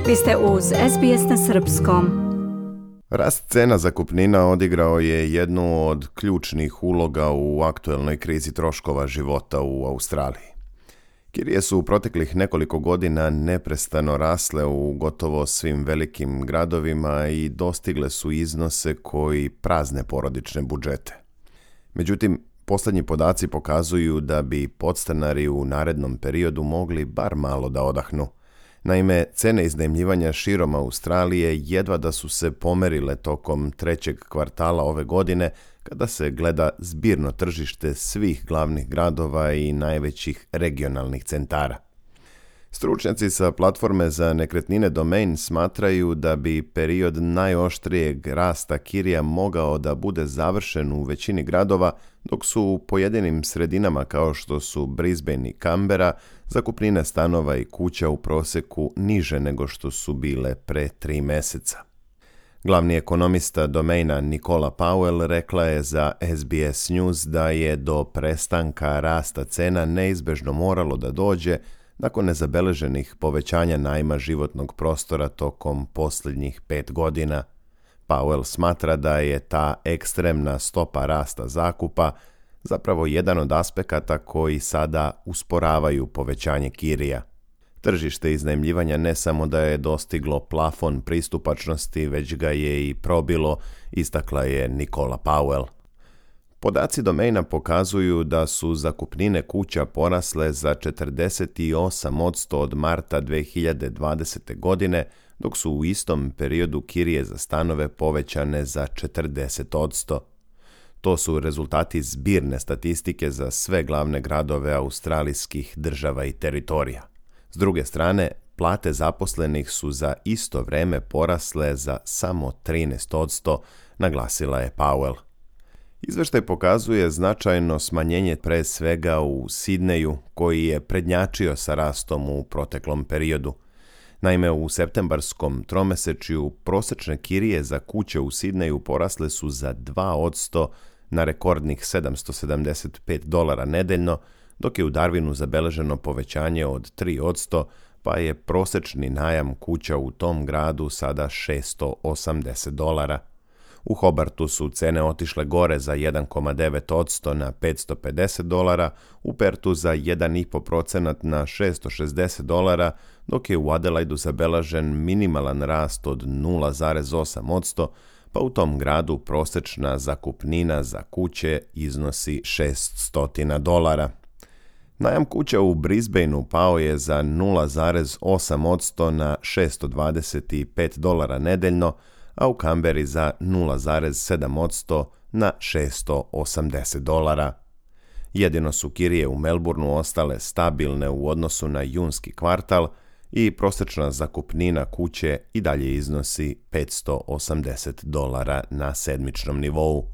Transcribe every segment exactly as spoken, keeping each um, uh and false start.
Vi ste uz S B S na srpskom. Rast cena zakupnina odigrao je jednu od ključnih uloga u aktuelnoj krizi troškova života u Australiji. Kirije su u proteklih nekoliko godina neprestano rasle u gotovo svim velikim gradovima i dostigle su iznose koji prazne porodične budžete. Međutim, posljednji podaci pokazuju da bi podstanari u narednom periodu mogli bar malo da odahnu. Naime, cene iznajmljivanja širom Australije jedva da su se pomerile tokom trećeg kvartala ove godine, kada se gleda zbirno tržište svih glavnih gradova i najvećih regionalnih centara. Stručnjaci sa platforme za nekretnine Domain smatraju da bi period najoštrijeg rasta kirija mogao da bude završen u većini gradova, dok su u pojedinim sredinama kao što su Brisbane i Canberra zakupnine stanova i kuća u prosjeku niže nego što su bile pre tri meseca. Glavni ekonomista Domaina Nicola Powell rekla je za S B S News da je do prestanka rasta cena neizbežno moralo da dođe nakon nezabeleženih povećanja najma životnog prostora tokom posljednjih pet godina. Powell smatra da je ta ekstremna stopa rasta zakupa zapravo jedan od aspekata koji sada usporavaju povećanje kirija. Tržište iznajmljivanja ne samo da je dostiglo plafon pristupačnosti, već ga je i probilo, istakla je Nicola Powell. Podaci Domaina pokazuju da su zakupnine kuća porasle za četrdeset osam posto od marta dve hiljade dvadesete. godine, dok su u istom periodu kirije za stanove povećane za četrdeset posto. To su rezultati zbirne statistike za sve glavne gradove australijskih država i teritorija. S druge strane, plate zaposlenih su za isto vreme porasle za samo trinaest posto, naglasila je Powell. Izveštaj pokazuje značajno smanjenje pre svega u Sidneju, koji je prednjačio sa rastom u proteklom periodu. Naime, u septembarskom tromesečju prosečne kirije za kuće u Sidneju porasle su za dva posto na rekordnih sedamsto sedamdeset pet dolara nedeljno, dok je u Darwinu zabeleženo povećanje od tri posto, pa je prosečni najam kuća u tom gradu sada šessto osamdeset dolara. U Hobartu su cene otišle gore za jedan zarez devet posto na petsto pedeset dolara, u Pertu za jedan zarez pet posto na šessto šezdeset dolara, dok je u Adelaidu zabeležen minimalan rast od nula zarez osam posto, pa u tom gradu prosečna zakupnina za kuće iznosi šeststo dolara. Najam kuća u Brisbaneu pao je za nula zarez osam posto na šessto dvadeset pet dolara nedeljno, a u Canberri za nula zarez sedam posto na šessto osamdeset dolara. Jedino su kirije u Melbourneu ostale stabilne u odnosu na junski kvartal i prosječna zakupnina kuće i dalje iznosi petsto osamdeset dolara na sedmičnom nivou.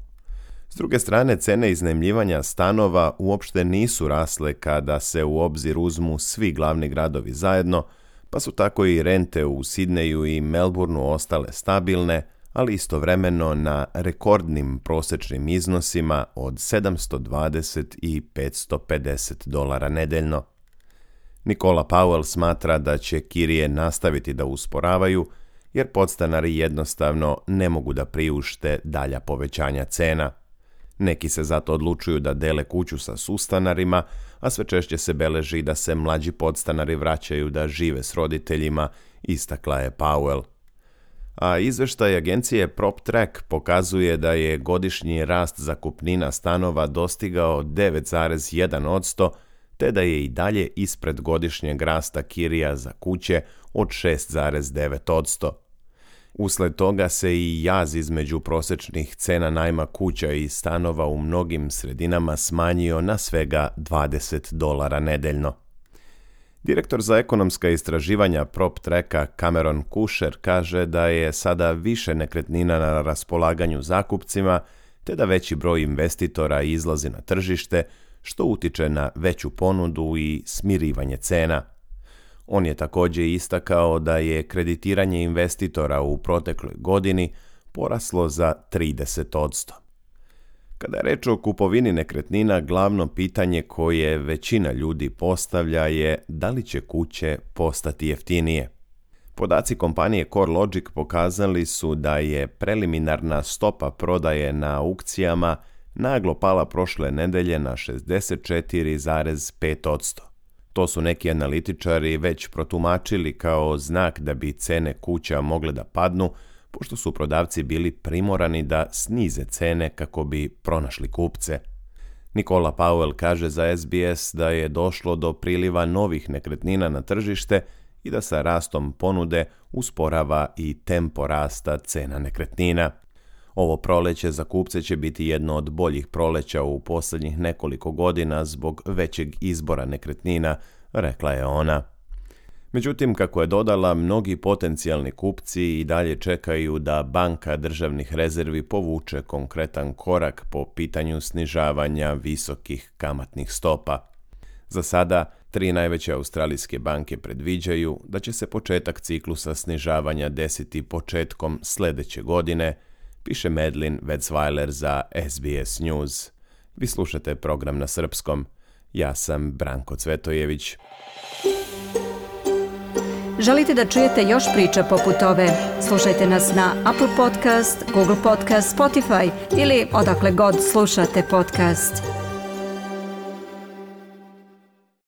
S druge strane, cene iznajmljivanja stanova uopšte nisu rasle kada se u obzir uzmu svi glavni gradovi zajedno, pa su tako i rente u Sidneju i Melbourneu ostale stabilne, ali istovremeno na rekordnim prosječnim iznosima od sedamsto dvadeset i petsto pedeset dolara nedeljno. Nicola Powell smatra da će kirije nastaviti da usporavaju, jer podstanari jednostavno ne mogu da priušte dalja povećanja cena. Neki se zato odlučuju da dele kuću sa sustanarima, a sve češće se beleži da se mlađi podstanari vraćaju da žive s roditeljima, istakla je Powell. A izveštaj agencije PropTrack pokazuje da je godišnji rast zakupnina stanova dostigao devet zarez jedan posto, te da je i dalje ispred godišnjeg rasta kirija za kuće od šest zarez devet posto. Usled toga se i jaz između prosječnih cena najma kuća i stanova u mnogim sredinama smanjio na svega dvadeset dolara nedeljno. Direktor za ekonomska istraživanja PropTracka Cameron Kusher kaže da je sada više nekretnina na raspolaganju zakupcima, te da veći broj investitora izlazi na tržište, što utiče na veću ponudu i smirivanje cena. On je također istakao da je kreditiranje investitora u protekloj godini poraslo za trideset posto. Kada je reč o kupovini nekretnina, glavno pitanje koje većina ljudi postavlja je da li će kuće postati jeftinije. Podaci kompanije CoreLogic pokazali su da je preliminarna stopa prodaje na aukcijama naglo pala prošle nedelje na šezdeset četiri zarez pet posto. To su neki analitičari već protumačili kao znak da bi cene kuća mogle da padnu, pošto su prodavci bili primorani da snize cene kako bi pronašli kupce. Nikola Powell kaže za S B S da je došlo do priliva novih nekretnina na tržište i da sa rastom ponude usporava i tempo rasta cena nekretnina. Ovo proleće za kupce će biti jedno od boljih proleća u posljednjih nekoliko godina zbog većeg izbora nekretnina, rekla je ona. Međutim, kako je dodala, mnogi potencijalni kupci i dalje čekaju da Banka državnih rezervi povuče konkretan korak po pitanju snižavanja visokih kamatnih stopa. Za sada, tri najveće australijske banke predviđaju da će se početak ciklusa snižavanja desiti početkom sljedeće godine, piše Medlin Wetzweiler za S B S News. Vi slušate program na srpskom. Ja sam Branko Cvetojević. Želite da čujete još priča poput ove? Slušajte nas na Apple Podcast, Google Podcast, Spotify ili odakle god slušate podcast.